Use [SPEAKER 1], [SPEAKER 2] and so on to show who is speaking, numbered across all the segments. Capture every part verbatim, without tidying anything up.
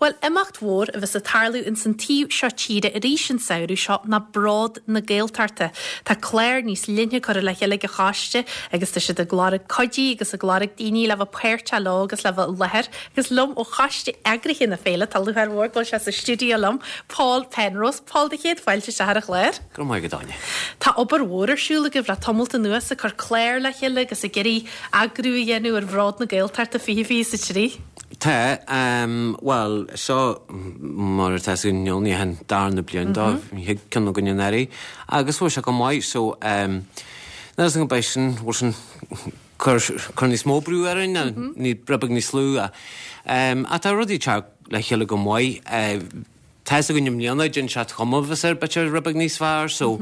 [SPEAKER 1] Bhuel imeacht mhór a bheas ag tarlú ins an taobh seo tíre arís an samhradh seo ná Bród na Gaeltachta. Tá clár níos leithne curtha le chéile ag an choiste agus tá siad ag lorg cuidí agus ag lorg daoine le bheith páirteach leo agus le bheith i láthair agus liom ó choiste eagraithe na féile tá lúcháir mhór go bhfuil sé sa stiúideo liom Paul Penrose Paul do chéad fáilte isteach ar an chlár.
[SPEAKER 2] Go maith go Áine.
[SPEAKER 1] Tá obair mhór ar siúl agaibh le tamalt anuas ag cur clár le chéile agus ag iarraidh eagrú a dhéanamh ar Bhród na Gaeltachta fiche fiche a trí.
[SPEAKER 2] Tá um, well seo mar atá ní an darna bliain dó thuig ceann againn anuraidh agus bhfuil sé go maith so um, an beidh sin sin cur cur níos mó brú ar an ní rud beag níos lú um, a tá rudaí teacht le chéile go maith uh, Tá go mbliana den se chumhas ar b'fhéidir rud beag níos fearr, so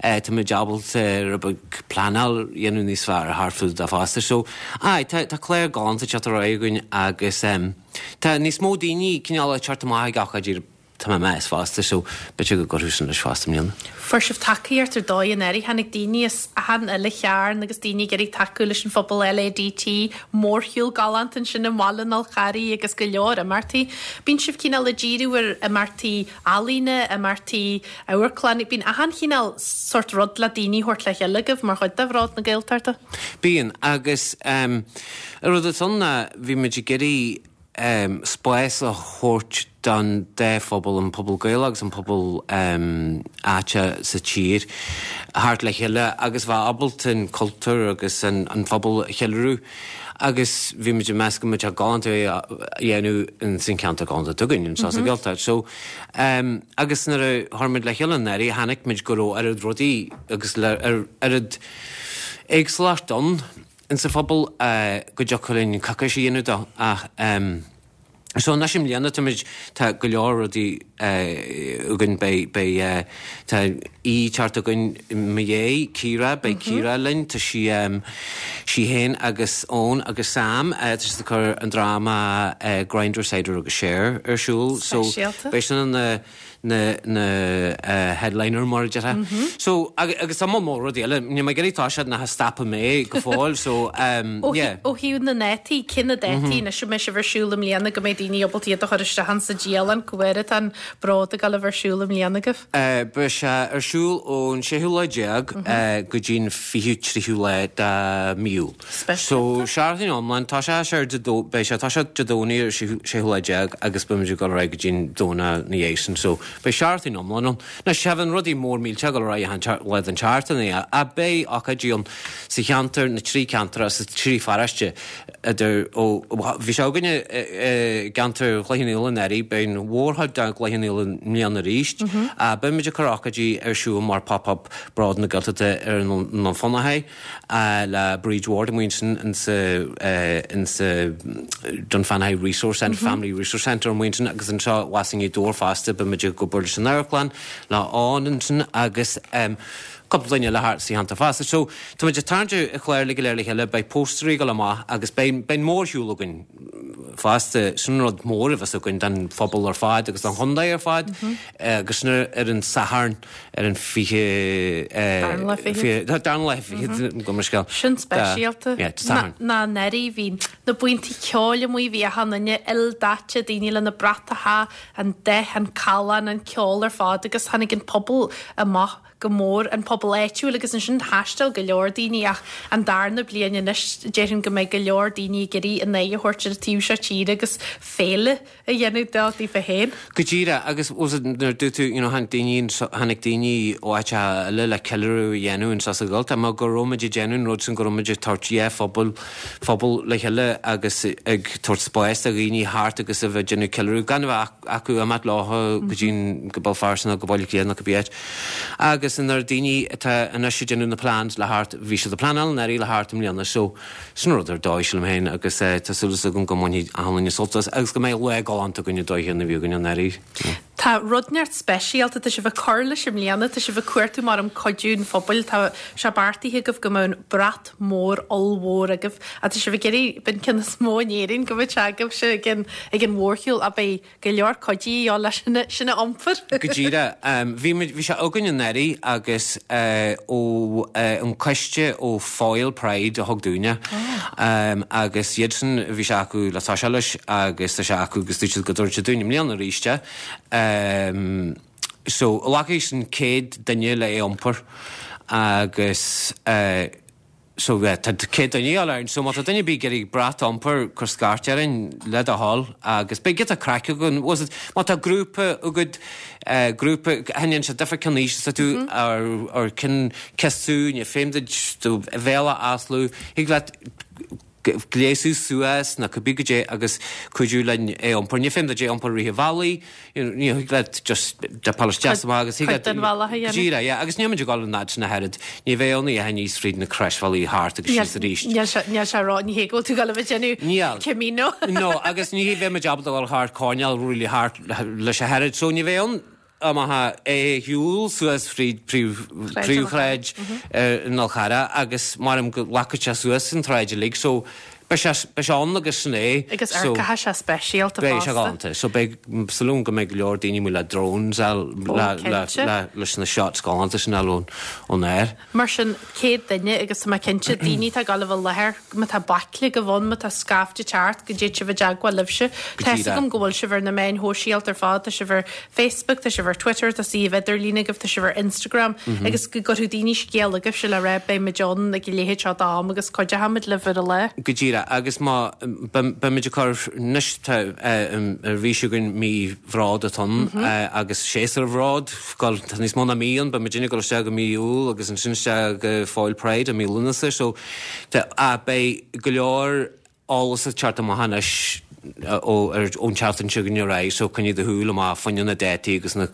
[SPEAKER 2] tá mé ábalta rud beag pleanáil a dhéanamh níos fearr thar fud a fosta. So ai tá tá clár galánta teacht ar aghaidh againn agus um, tá níos mó daoine cineál teacht amach ag ócáidí tá mé meas fosta, so b'fhéidir go gcuirfidh sin leis fosta mbliana.
[SPEAKER 1] Fuair sibh tacaíocht ar dóigh anuraidh tháinig daoine as achan uile chearn agus daoine ag iarraidh tacú leis an phobal LADT mórshiúl galánta ansin i mBaile an Fhál Carraigh agus go leor imeachtaí. Bíonn sibh cineál ag díriú ar imeachtaí ealaíne, imeachtaí amharclann, bíonn achan chineál sórt rud le daoine a thabhairt le chéile agaibh mar chuid de Bhród na Gaeltachta.
[SPEAKER 2] Bíonn agus um, a rud ann ná bhí muid ag iarraidh um, spás a thabhairt don dá phobal an pobal Gael agus an pobal um, áite sa tír thart le chéile agus bheith ábalta an cultúr agus an, an phobal a cheiliúradh. Agus bhí muid ag meas go mbeadh galánta a dhéanamh in sin ceantar galánta againn an sa Ghaeltacht. So um, agus nuair a chuir muid le chéile anuraidh chonaic muid go raibh oiread rudaí agus le ar oiread éagsúlacht ann in sa phobal uh, go dtiocfadh linn coicís a dhéanamh dó ach um, So anois i mbliana tá tá go leor rudaí againn beidh beidh tá í teacht againn mo dhé Ciara beidh Ciara linn tá sí um, sí féin agus Eoin agus Sam uh, tá siad ag cur an dráma uh, Grindr Cider agus Share ar siúl so beidh sin an na na na uh, headliner mar deirtear. Mm -hmm. So agus tá mór rudaí eile ní mé gurí tá siad na stapa mé go fóill so um, yeah.
[SPEAKER 1] Ó thaobh na ndátaí cé na dátaí na mbeidh sibh ar siúl i mbliana go mbeidh daoine ábalta iad a chur isteach sa dialann go bhfuil an bród ag gabháil a bheith ar siúl i mbliana agaibh.
[SPEAKER 2] Uh, Beidh sé ar siúl ón séú lá déag mm -hmm. uh, go dtí'n fichiú tríú lá de mí Iúil. So seachtain iomlán tá sé sé beidh sé tá sé Dé Domhnaigh ar séú lá déag agus beimid ag dul go dtí'n Domhnach na dhéis so beidh seachtain iomlán ann. Na sé an rudaí mór mílte go ra le an seachtain a beidh ócáidí ann sa cheantar na trí ceantar sa trí pharóiste idir ó bhí sé againne i gceantar Chloich Cheann Fhaola anuraidh beidh an mhórchuid de Chloich Cheann Fhaola i mbliana arís a beimid ag cur ócáidí ar siúl mar pop-up Bród na Gaeltachta ar an Fionnachaidh le Bríd Ward amuigh ansin insa insa Dunfanaghy Resource Centre Family Resource Centre amuigh ansin agus anseo abhus i nGaoth Dobhair fosta beimid ag obair leis an amharclann le Eoin ansin agus um, cúpla duine le thart sa cheantar fosta. So tá muid ag tarraingt an chlár le go léir le chéile beidh póstairí ag dul amach agus beidh beidh mórshiúl againn fosta sin rud mór a bheas againn don phobal ar fad agus don chontae ar fad agus sin ar an Satharn ar an fiche darna lá fiche go mar scéal.
[SPEAKER 1] Sin speisialta ná anuraidh bhí na buíonta ceoil amuigh bhí achan duine ildaite daoine lena bratacha an dath an callán an ceol ar fad agus tháinig an pobal amach go mór an pobal áitiúil agus ansin thaistil go leor daoine ach an darna bliain anois déarfainn go mbeidh go leor daoine ag iarraidh a n-aghaidh a thabhairt ar an taobh seo tíre agus féile a dhéanamh dó daofa féin.
[SPEAKER 2] Go díreach agus nuair dúirt tú you know, tháinig daoine tháinig daoine ó áit eile le ceiliúradh a dhéanamh anseo sa Ghaeltacht mar go raibh muid ag déanamh an rud sin go raibh muid ag tabhairt dhá phobal phobal le chéile agus ag tabhairt spás do dhaoine thart agus a bheith ag déanamh ceiliúradh gan a bheith acu imeacht leo go dtí go Béal Feirste nó go Baile Átha Cliath nó cibé áit. Agus nuair daoine atá anois ag déanamh na plans le thart bhí siad ag pleanáil anuraidh le thart i mbliana so sin rud ar dóigh sílim féin agus eh, tá súil agam go mbainfidh achan duine sult as agus go mbeidh lá galánta againn dóigh na bhí againn anuraidh.
[SPEAKER 1] Tá rud neart speisialta tá sibh ag cur leis i mbliana, tá sibh ag cuartú mar an cuidiú an phobail, tá sé beartaithe agaibh go mbeadh brat mór ollmhór agaibh a tá sibh ag iarraidh b'in ceann is mó in Éirinn go mbeadh sé agaibhse ag an ag an mhórshiúl a beidh go leor cuidiú leis sin sin a iompar.
[SPEAKER 2] Go díreach bhí bhí sé againn anuraidh agus ó an coiste ó Foyle Pride a thug dúinne agus iad sin bhí sé acu le toiseacht leis agus tá sé acu agus dúirt siad go dtabharfaidh siad dúinn i mbliana arís é. Um, so glacfaidh sin céad duine le é iompar agus uh, so uh, tá céad duine á so má tá duine bí ag brat a iompar cuir scairt orainn le do thoil agus beidh giota craic againn was it má tá grúpa agat uh, grúpa haon sé difir cin aois sa tú ar ar cin cesú ní féim do bhéala aslú thig leat gléasadh suas na cibé goidé agus cuidiú linn é iompar. Ní féim é iompar ríthe bhallaí, ní thig leat just de pal amach agus
[SPEAKER 1] Cuid den bhealach a dhéanamh.
[SPEAKER 2] Díreach, yeah, agus níl muid ag dul an fhad sin a oiread. Ní bheidh ann a níos fríd na croisbhealaí thart agus síos arís.
[SPEAKER 1] Níl sé níl sé rá ní hé go bhfuil tú ag dul a bheith déanamh
[SPEAKER 2] Níl.
[SPEAKER 1] Camino.
[SPEAKER 2] No, agus ní bheidh muid ábalta dul thart coirnéal really thart leis a oiread, so ní bheidh ann amach é shiúl suas fríd príomhshráid an Fhál Charraigh agus mar go glacfaidh sé suas an tsráid uilig, so beidh sé beidh sé ann agus sin é.
[SPEAKER 1] Agus ar caithfidh sé speisialta
[SPEAKER 2] Beidh sé
[SPEAKER 1] fosta.
[SPEAKER 2] galánta, so beidh súil go mbeidh go leor daoine amuigh le drones le le
[SPEAKER 1] cinnte.
[SPEAKER 2] le leis na shots galánta sin ón ón aer.
[SPEAKER 1] Mar sin céad duine agus tá mé cinnte daoine tá ag dul a bheith i láthair má tá baicle go bhun má tá scaifte teart go dté sibh i dteagmháil libhse.
[SPEAKER 2] Go
[SPEAKER 1] Tá
[SPEAKER 2] díreach.
[SPEAKER 1] agam go bhfuil sibh ar na meáin shóisialta ar fad, tá sibh ar Facebook, tá sibh ar Twitter, tá suíomh idirlín agaibh, tá sibh ar Instagram agus go gcuirfidh daoine scéal agaibhse le rá beidh muid ann ag a leithéid seo d'am agus cuideochaimid libh ar a lá.
[SPEAKER 2] Go díreach agus má beimid ag cur anois ar bhí againn mí Bhród atá ann agus séasúr Bhród gal tá níos mó ná mí ann beimid ag dul isteach go mí Iúil agus ansin isteach go Foyle Pride i mí Lúnasa so tá a beidh go leor eolas ag teacht amach anois ó ar ón tseachtain seo go ar so coinnigh do shúil amach fá choinne na dátaí agus na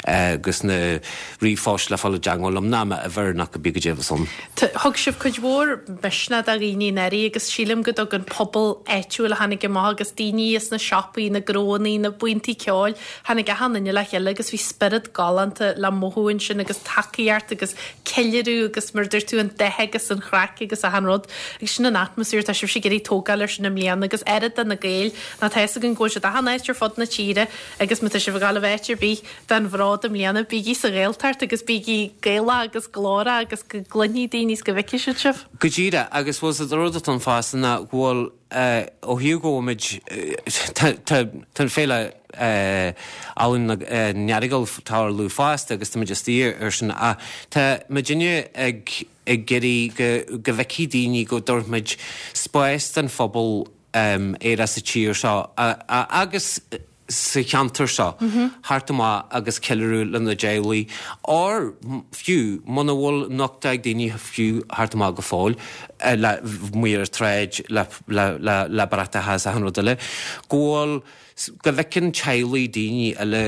[SPEAKER 2] agus na ríomhphoist le fáil i dteagmháil liom ná m'uimhir nach go bí go dtéamh san.
[SPEAKER 1] Thug sibh cuid mhór misneach do dhaoine anuraidh agus sílim go dtug an pobal áitiúil a tháinig amach agus daoine is na siopaí, na gnónna, na buíonta ceoil, tháinig achan duine le chéile agus bhí spiorad galánta le mothú ansin agus tacaíocht agus ceiliúradh agus mar dúirt tú an dath agus an chraic agus achan rud. Agus sin an atmaisféar tá sibh ag iarraidh tógáil ar sin i mbliana agus oiread de na Gaeil ná tá an go bhfuil siad achan áit ar fud na tíre agus má tá sibh ag dul a bheith ar bith den Bhród i mbliana bígí sa Ghaeltacht agus bígí Gaelach agus glórach agus go gcluinfidh daoine is go bhfeicfidh siad sibh.
[SPEAKER 2] Go díreach agus was a rud atá fosta ná go bhfuil ó thaobh go bhfuil tá an féile Ealaín na nEaragail tarlú fosta agus tá muid istigh ar sin a tá muidinne ag ag iarraidh go go bhfeicfidh daoine go dtabharfaimid spás don phobal um, éire sa tír seo a, a, agus sa cheantar seo thart amach agus ceiliúradh lena dteaghlaigh or fiú muna bhfuil nochtadh ag daoine fiú thart amach go fóill eh, le muir tréid le, le, le, le bratacha is achan rud eile go bhfuil go bhfeiceann teaghlaigh daoine eile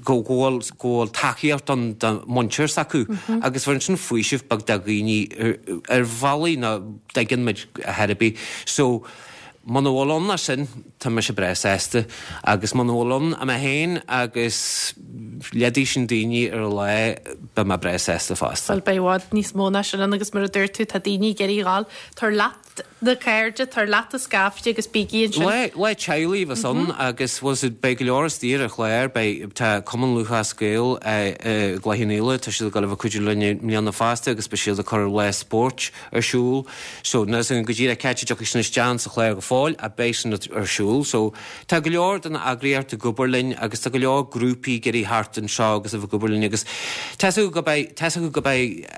[SPEAKER 2] go bhfuil go bhfuil tacaíocht an don muintir s'acu agus bhfuil sin faoiseamh beag do dhaoine ar, ar bhealaí ná dtuigeann muid a therapy so Muna bhfuil ann sin tá mise breá sásta agus muna bhfuil ann a mé féin agus leidí sin daoine ar a lá beidh mé breá sásta fosta.
[SPEAKER 1] Well beidh i bhfad níos mó ná sin ann agus mar a dúirt tú tá daoine ag iarraidh ghabháil tar leat na cairde tar leat a scaifte agus bígí ansin.
[SPEAKER 2] Le le teaghlaigh bheas ann agus was it beidh go leor istigh ar chlár beidh tá Cumann Lúthchleas Gael Chloich Cheann Fhaola tá siad ag dul a bheith cuidiú linn i mbliana fosta agus beidh siad ag cur lá spóirt ar siúl so na sin go díreach ceite dtiocfaidh sin isteach sa chlár go fóill a beidh sin ar siúl so tá go leor den eagraíocht ag obair linn agus tá go leor grúpaí ag iarraidh thart anseo agus a bheith ag obair linn agus tá go beidh tá go beidh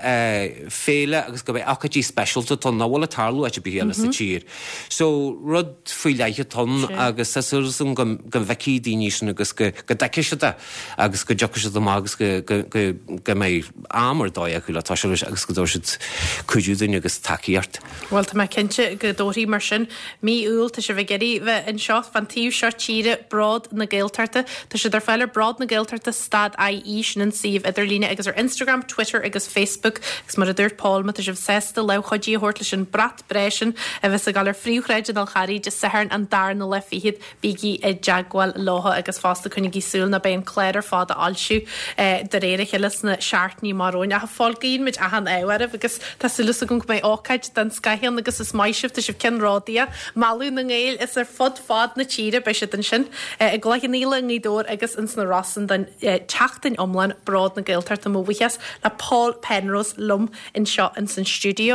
[SPEAKER 2] féile agus go beidh ócáidí speisialta ann nach bhfuil ag tarlú áit ar bith eile sa tír. So rud faoi leith atá ann agus tá súil agam go go bhfeicfidh daoine sin agus go go dtuigfidh siad é agus go dtiocfaidh siad amach agus go go go go mbeidh am ar dóigh acu le toiseacht leis agus go dtabharfaidh siad cuidiú dúinn agus tacaíocht.
[SPEAKER 1] Well tá mé cinnte go dtabharfaidh mar sin mí Iúil tá sibh ag iarraidh bheith anseo fan taobh seo tíre Bród na Gaeltachta Tá siad ar fáil ar Bród na Gaeltachta stad IE sin an suíomh idirlíne agus ar Instagram, Twitter agus Facebook agus mar a dúirt Paul má tá sibh sásta lámh chuidithe a thabhairt leis an brat breise sin a bheas ag dul ar phríomhshráid an Fhál Charraigh Dé Sathairn an darna lá fichead bígí i dteagmháil leo agus fosta coinnígí súil nó beidh an clár ar fad á fhoilsiú de réir a chéile sna seachtainí amach romhainn. Ach a Phóil, guíonn muid achan ádh oraibh agus tá súil agam go mbeidh ócáid den scoth ann agus is maith sibh, tá sibh ceannródaíoch, mealladh na nGael is ar fud fad na tíre beidh siad ansin i gCloich Cheann Fhaola, i nGaoth Dobhair agus ins na Rosann don tseachtain iomlán Bród na Gaeltachta. Mo bhuíochas le Paul Penrose liom anseo ins an stiúideo.